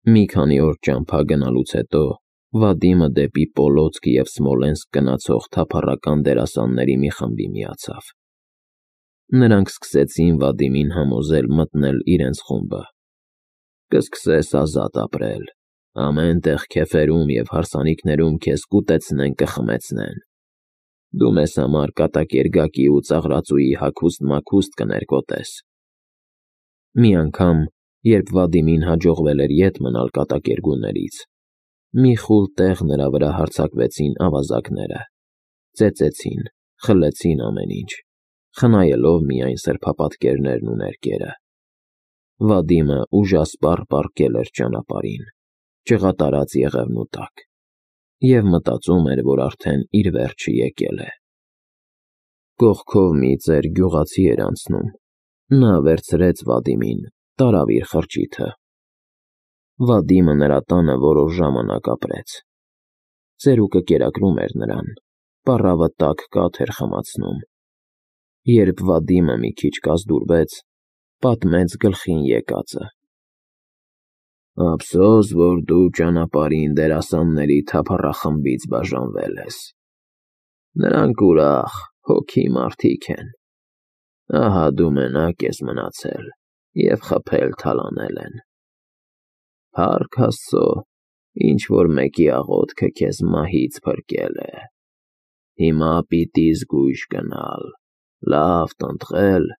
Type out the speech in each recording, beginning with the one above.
Մի քանի օր ճամփա գնալուց հետո Վադիմը դեպի Պոլոցկ և Սմոլենսկ գնացող թափառական դերասանների մի խմբի միացավ։ Նրանք սկսեցին Վադիմին համոզել մտնել իրենց խումբը։ «Կսկսես ազատ ապրել, ամեն տեղ քեֆերում և հարսանիքներում քեզ կուտեցնեն, կխմեցնեն։ Դու մեզ համար կատակերգակի ու ծաղրածուի հագուստ-մագուստ կներկոտես»։ Մի անգամ, երբ Վադիմին հաջողվել էր ետ մնալ կատակերգուներից, մի խուլ տեղ նրա վրա հարձակվեցին ավազակները, ծեծեցին, խլեցին ամեն ինչ, խնայելով միայն սրբապատկերներն ու ներկերը։ Վադիմը ուժասպառ պառկել էր ճանապարհին, ճղատարած եղևնու տակ, և մտածում էր, որ արդեն իր վերջը եկել է։ Կողքով մի ծեր գյուղացի էր անցնում, նա վերցրեց Վադիմին, տարավ իր խրճիթը։ Վադիմը նրա տանը որոշ ժամանակ ապրեց։ Ծերուկը կերակրում էր նրան, պառավը տաք կաթ էր խմացնում։ Երբ Վադիմը մի քիչ կազդուրվեց, պատմեց գլխին եկածը։ «Ափսոս, որ դու ճանապարհին դերասանների թափառախմբից բաժանվել ես։ Նրանք ուրախ, հոգի մարդիկ են։ Ահա դու մենակ ես մնացել և խփել-թալանել են։ Փառք Աստծո, ինչ-որ մեկի աղոթքը քեզ մահից փրկել է։ Հիմա պիտի զգույշ գնալ, լավ տնտղել,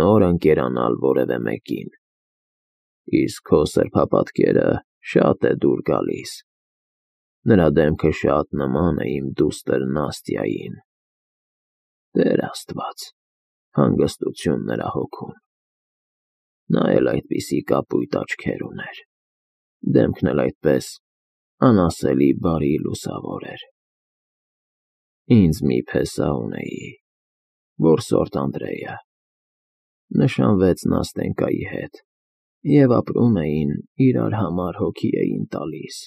նոր ընկերանալ որևէ մեկին։ Իսկ քո սրբապատկերը շատ է դուր գալիս։ Նրա դեմքը շատ նման է իմ դուստր Նաստյային։ Տեր Աստված, հանգստություն նրա հոգուն։ Նա էլ այդպիսի կապույտ աչքեր ուներ, դեմքն էլ այդպես անասելի բարի լուսավոր էր։ Ինձ մի փեսա ունեի, որսորդ Անդրեյը։ Նշանվեց Նաստենկայի հետ, և ապրում էին, իրար համար հոգի էին տալիս։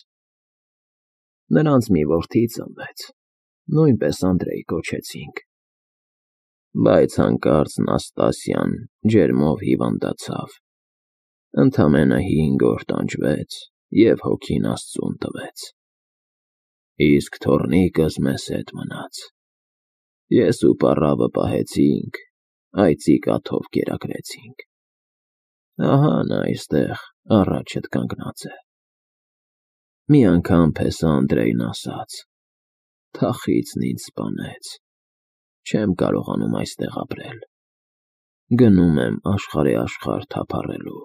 Նրանց մի որդի ծնվեց, նույնպես Անդրեյ կոչեցինք։ Բայց հանկարծ Նաստասյան ջերմով հիվանդացավ, ընդամենը 5 օր տանջվեց և հոգին Աստծուն տվեց։ Իսկ թոռնիկս մեզ հետ մնաց։ Ես ու պառավը պահեցինք, այծի կաթով կերակրեցինք։ Ահա նա այստեղ առաջդ կանգնած է։ Մի անգամ փեսա Անդրեյն ասաց. «Թախիծն ինձ սպանեց, չեմ կարողանում այստեղ ապրել, գնում եմ աշխարհի թափառելու»։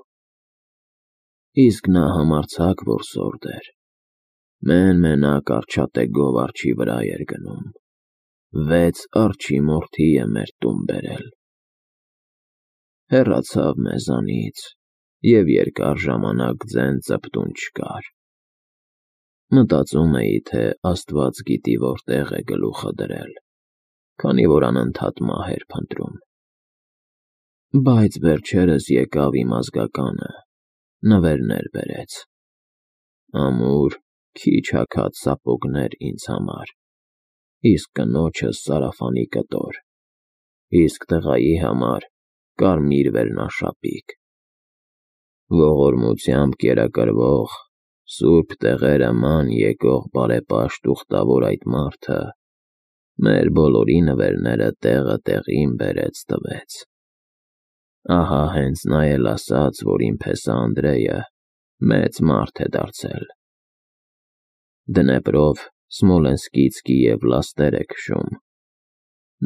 Իսկ նա համարձակ որսորդ էր, մեն-մենակ արջատեգով արջի վրա էր գնում։ 6 արջի մորթի է մեր տուն բերել։ Հեռացավ մեզանից, և երկար ժամանակ ձեն ծպտուն չկար։ Մտածում էի, թե Աստված գիտի որտեղ է գլուխը դրել, քանի որ անընդհատ մահ էր փնտրում։ Բայց վերջերս եկավ իմ ազգականը, նվերներ բերեց։ Ամուր, քիչ հագած սապոգներ ինձ համար, իսկ կնոջս սարավանի կտոր, իսկ տղայի համար կարմիր վերնաշապիկ։ Ողորմությամբ կերակրվող, սուրբ տեղերը ման եկող բարեպաշտ ուխտավոր այդ մարդը մեր բոլորի նվերները տեղը տեղին բերեց տվեց։ Ահա հենց նա էլ ասաց, որ իմ փեսա Անդրեյը մեծ մարդ է դարձել։ Դնեպրով Սմոլենսկից Կիև լաստեր է քշում։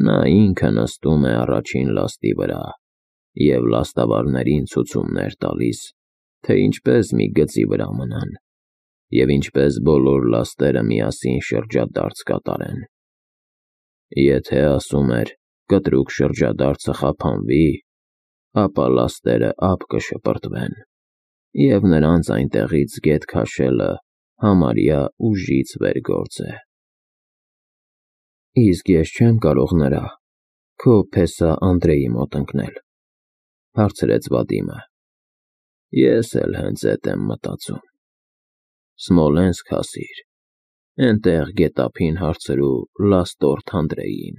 Նա ինքը նստում է առաջին լաստի վրա և լաստավարներին ցուցումներ տալիս, թե ինչպես մի գծի վրա մնան, և ինչպես բոլոր լաստերը միասին շրջադարձ կատարեն։ Եթե, ասում էր, կտրուկ շրջադարձը խափանվի, ապա լաստերը ափ կշպրտվեն, և նրանց այնտեղից գետ քաշելը համարյա ուժից վեր գործ է։ Իսկ ես չեմ կարող նրա, քո փեսա Անդրեյի մոտ ընկնել, հարցրեց Վադիմը։ Ես էլ հենց էդ եմ մտածում։ Սմոլենսկ հասիր, էնտեղ գետափին հարցրու լաստորդ Անդրեյին,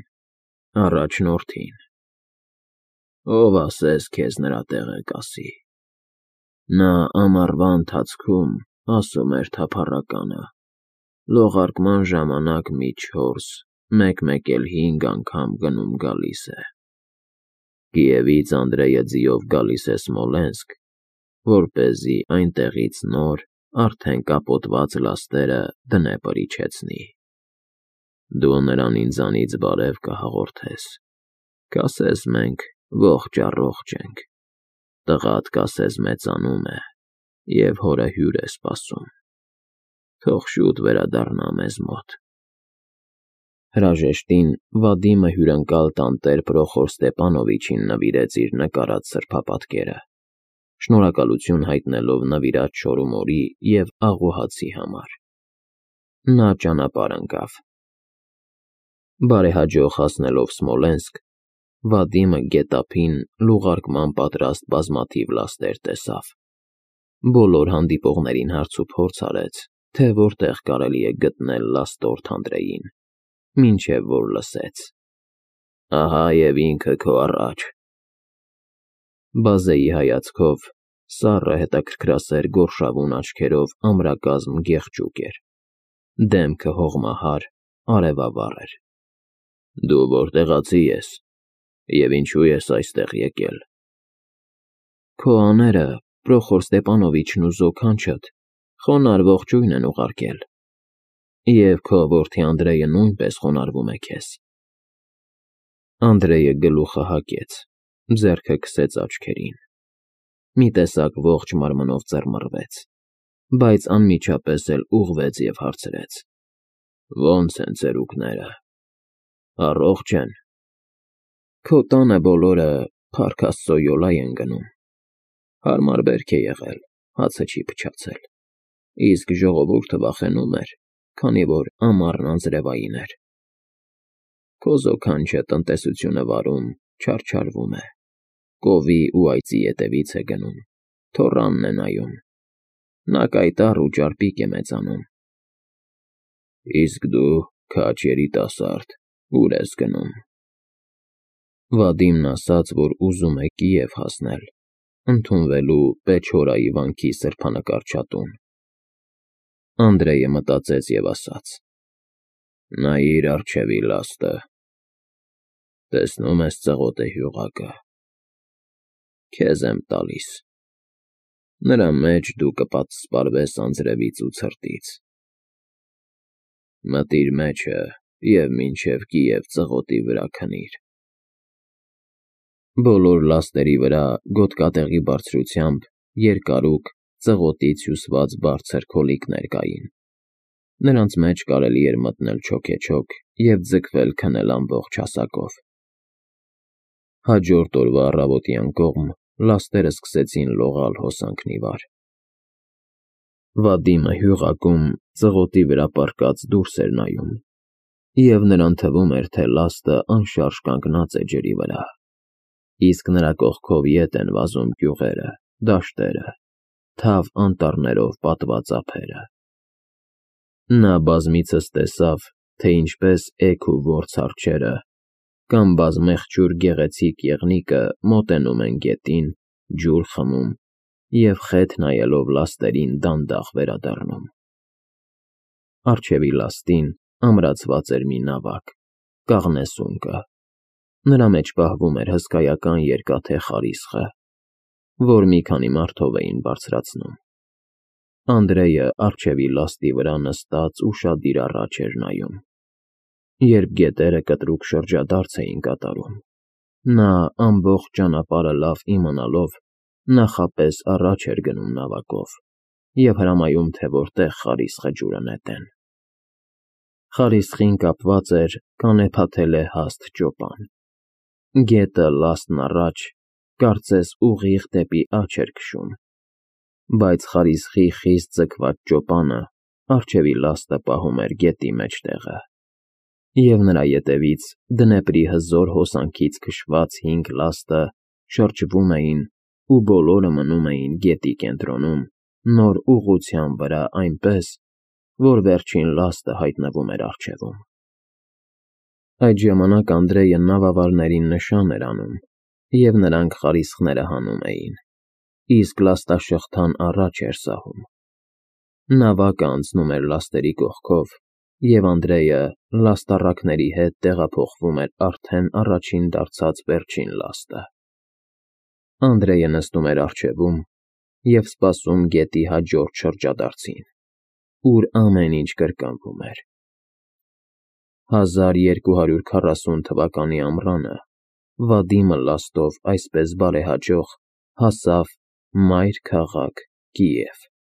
առաջնորդին։ Ով ասես քեզ նրա տեղը կասի։ Նա ամառվա ընթացքում ասում էր թափառականը, լողարկման ժամանակ մի 4, մեկ-մեկ էլ 5 անգամ գնում-գալիս է։ Կիևից Անդրեյը ձիով գալիս է Սմոլենսկ, որպեսզի այնտեղից նոր, արդեն կապոտված լաստերը դնեպր իջեցնի։ Դու նրան ինձանից բարև կհաղորդես, կասես մենք ողջ-առողջ ենք, տղադ կասես մեծանում է և հորը հյուր է սպասում, թող շուտ վերադառնա մեզ մոտ։ Հրաժեշտին Վադիմը հյուրընկալ տանտեր Պրոխոր Ստեպանովիչին նվիրեց իր նկարած սրբապատկերը, շնորհակալություն հայտնելով նվիրած շորումորի և աղուհացի համար։ Նա ճանապարհ ընկավ։ Բարեհաջող հասնելով Սմոլենսկ, Վադիմը գետափին լուղարկման պատրաստ բազմաթիվ լաստեր տեսավ։ Բոլոր հանդիպողներին հարցուփորձ արեց, թե որտեղ կարելի է գտնել լաստորդ Անդրեյին, մինչև որ լսեց. «Ահա և ինքը քո առաջ»։ Բազեի հայացքով սառը հետաքրքրասեր գորշավուն աչքերով ամրակազմ գեղջուկ էր, դեմքը հողմահար, արևավառ էր։ Դու որտեղացի ես և ինչու ես այստեղ եկել։ Քո աները, Պրոխոր Ստեպանովիչն ու զոքանչդ խոնարհ ողջույն են ուղարկել, և քո որդի Անդրեյը նույնպես խոնարհվում է քեզ։ Անդրեյը գլուխը հակեց, ձեռքը քսեց աչքերին, մի տեսակ ողջ մարմնով ծռմռվեց, բայց անմիջապես էլ ուղղվեց և հարցրեց. «Ո՞նց են ծերուկները, առողջ են»։ Քո տանը բոլորը, փառք Աստծո, յոլա են գնում, հարմար բերք է եղել, հացը չի փչացել, իսկ ժողովուրդը վախենում էր, քանի որ ամառն անձրևային էր։ Քո զոքանչը տնտեսությունը վարում, չարչարվում է, կովի ու այծի ետևից է գնում, թոռանն է նայում, նա կայտառ ու ճարպիկ է մեծանում։ Իսկ դու, քաջ երիտասարդ, ուր ես գնում։ Վադիմն ասաց, որ ուզում է Կիև հասնել, ընդունվելու Պեչորայի վանքի սրբանկարչատուն։ Անդրեյը մտածեց և ասաց. նայիր առջևի լաստը, տեսնում ես ծղոտե հյուղակը, քեզ եմ տալիս, նրա մեջ դու կպատսպարվես անձրևից ու ցրտից, մտիր մեջը և մինչև Կիև ծղոտի վրա քնիր։ Բոլոր լաստերի վրա գոտկատեղի բարձրությամբ երկարուկ, ծղոտից հյուսված բարձր քոլիկներ կային, նրանց մեջ կարելի էր մտնել չոքեչոք և ձգվել քնել ամբողջ հասակով։ Հաջորդ օրվա առավոտյան կողմ լաստերը սկսեցին լողալ հոսանքն ի վար։ Վադիմը հյուղակում ծղոտի վրա պառկած դուրս էր նայում, և նրան թվում էր, թե լաստը անշարժ կանգնած է ջրի վրա, իսկ նրա կողքով ետ են վազում գյուղերը, դաշտերը, թավ անտառներով պատված ափերը։ Նա բազմիցս տեսավ, թե ինչպես էգ ու որց արջերը կամ բազմեղջյուր գեղեցիկ եղնիկը մոտենում են գետին, ջուր խմում և խեթ նայելով լաստերին դանդաղ վերադառնում։ Առջևի լաստին ամրացված էր մի նավակ, կաղնեսունկը, նրա մեջ պահվում էր հսկայական երկաթե խարիսխը, որ մի քանի մարդով էին բարձրացնում։ Անդրեյը առջևի լաստի վրա նստած ուշադիր առաջ էր նայում։ Երբ գետերը կտրուկ շրջադարձ էին կատարում, նա ամբողջ ճանապարհը լավ իմանալով նախապես առաջ էր գնում նավակով և հրամայում, թե որտեղ խարիսխը ջուրը նետեն։ Խարիսխին կապված էր կանեփաթելե հաստ ճոպան։ Գետը լաստն առաջ, կարծես ուղիղ դեպի աջ էր քշում, բայց խարիսխի խիստ ձգված ճոպանը առջևի լաստը պահում էր գետի մեջտեղը, և նրա ետևից Դնեպրի հզոր հոսանքից քշված 5 լաստը շրջվում էին ու բոլորը մնում էին գետի կենտրոնում, նոր ուղղության վրա այնպես, որ վերջին լաստը հայտնվում էր առջևում։ Այդ ժամանակ Անդրեյը նավավարներին նշան էր անում, և նրանք խարիսխները հանում էին, իսկ լաստաշղթան առաջ էր սահում։ Նավակը անցնում էր լաստերի կողքով, և Անդրեյը լաստառակների հետ տեղափոխվում էր արդեն առաջին դարձած վերջին լաստը։ Անդրեյը նստում էր առջևում և սպասում գետի հաջորդ շրջադարձին, ուր ամեն ինչ կրկնվում էր։ 1240 թվականի ամռանը Վադիմը լաստով այսպես բարեհաջող հասավ մայր քաղաք Կիև։